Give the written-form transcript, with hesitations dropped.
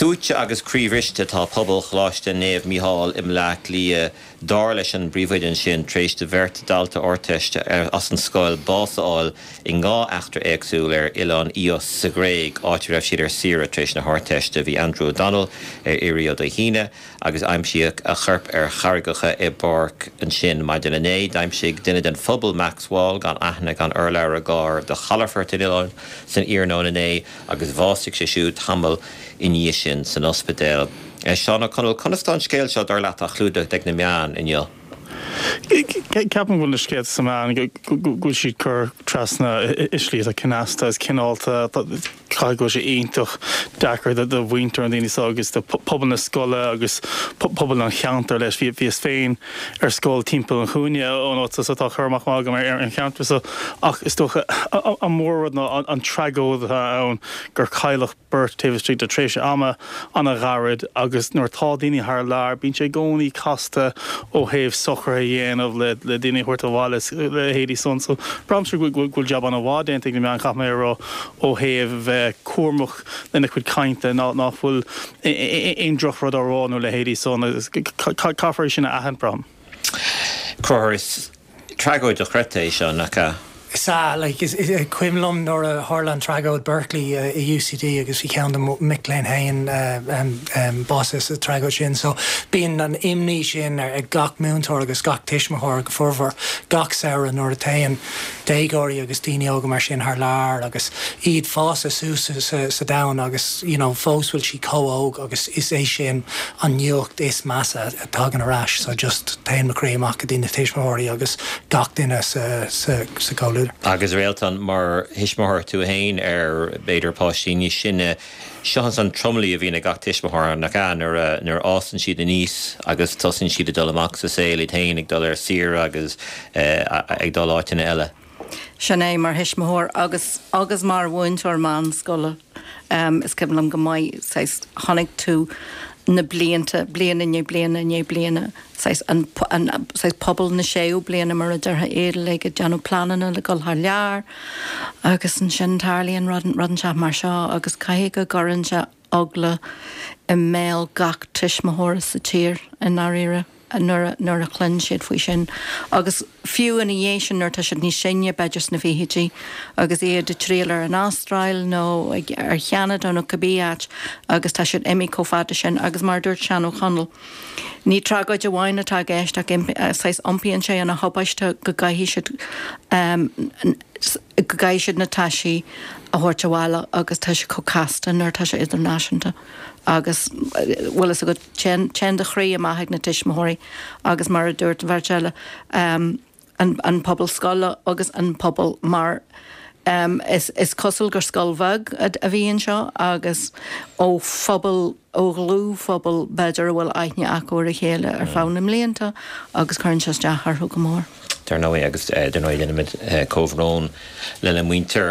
Suaite agus croíbhriste atá pobal Choláiste Naomh Mícheál i mBleá Cliath, dar leis an bpríomhoide ansin, tar éis do bheirt dalta Ardteiste as an scoil bás a fháil i ndhá eachtra éagsúil ar oileán Ios sa Ghréig, áit a raibh siad ar saoire tar éis na hArdteiste. Bhí Andrew O'Donnell ar iarraidh ó Dé hAoine agus aimsíodh a chorp ar charraigeacha i bpáirc ansin maidin inné. D'aimsigh duine den phobal, Max Wall, gan aithne gan urlabhra gar do chalafort an oileáin san iarnóin inné. agus bhásaigh sé siúd tamall i ndiaidh sin san ospidéal. Seán Ó Conaill, conas tá an scéal seo, dar leat, á chlúdach ag na meáin inniu? Ceapaim go bhfuil na scéalta sna meáin, go bhfuil siad curtha trasna i slí atá cneasta agus cineálta. Caithfidh go bhfuil sé iontach deacair do mhuintir na ndaoine seo agus do phobal na scoile agus pobal an cheantair leis. Bhíos féin ar scoil timpeall an chúinne ón áit so tá cur amach maith agam ar an cheantar so ach is dócha an mór-rud ná an tragóid atá ann gur cailleadh beirt taobh istigh de tréimhse ama an-ghairid agus nuair atá daoine thar lear bíonn sé i gcónaí casta ó thaobh socruithe a dhéanamh le le daoine a thabhairt abhaile is a leithéidí san so braithimse go bhfuil jab an-mhaith déanta ag na meáin caithfidh mé a rá ó thaobh bheith cúramach lena chuid cainte nach bhfuil aon drochrud á rá nó a leithéidí san agus caithfear é sin a aithint, braithim. Conchúr, is tragóid dochreidte é seo, nach ea? Is ea, like, is cuimhin liom nuair a tharla an tragóid Berkeley i UCD agus bhí ceann de mo mhic léinn féin básaithe sa tragóid sin so bíonn an imní sin ag gach múinteoir agus gach tuismitheoir go formhór gach samhradh nuair a théann déagóirí agus daoine óga mar sin thar lear agus iad fásta suas sa domhan agus you know fós bhfuil siad chomh óg agus is é sin an nuacht is measa a tagann ar ais so just téann mo chroí amach go dtí na tuismitheoirí agus gach duine sa sa sa gcomhluadar. Agus Réaltán, mar thuismitheoir tú féin ar b'fhéidir páistí níos sine, Seo an tromluí a bhíonn ag gach tuismitheoir, nach ea, nuair a nuair a fhásann siad aníos agus tosaíonn siad ag dul amach sa saol iad féin, ag dul ar saoire agus ag dul áiteanna eile. Sin é, mar thuismitheoir agus agus mar mhúinteoir meánscoile, is cuimhin liom go maith, saghas, chonaic tú na blianta, bliain i ndiaidh bliana i ndiaidh bliana, saghas, an, an, saghas pobal na séú bliana, mar a déarfá, iad uilig ag déanamh pleananna le dul thar lear agus ansin tarlaíonn rud, rud inteacht mar seo agus caithfidh go gcuireann sé eagla i mbéal gach tuismitheora sa tír i ndáiríre nuair a, nuair a chluin siad faoi sin. Agus fiú ina dhiaidh sin nuair atá siad níos sine, b'fhéidir sna fichidí, agus iad ag triall ar an Astráil nó ag, ar Cheanada nó cibé áit agus tá siad imithe chomh fada sin agus mar a dúirt Seán Ó Conaill, Ní tragóid amháin atá i gceist ach saghas iompaíonn sé ina thubaiste go gcaithfidh siad go gcaithfidh siad na taisí a thabhairt abhaile agus tá sé chomh casta nuair atá sé idirnáisiúnta agus bhfuil fhios agat téann téann do chroí amach ag na tuismitheoirí agus mar a dúirt an bheirt eile an pobal scoile agus an pobal mar is cosúil gur scoil bheag a bhí anseo agus ó phobal, ó dhlúthphobal b'fhéidir a bhfuil aithne acu ar a chéile ar feadh na mblianta agus cuireann sé isteach orthu go mór. Dar ndóigh, agus dar ndóigh déanaimid comhbhrón lena muintir.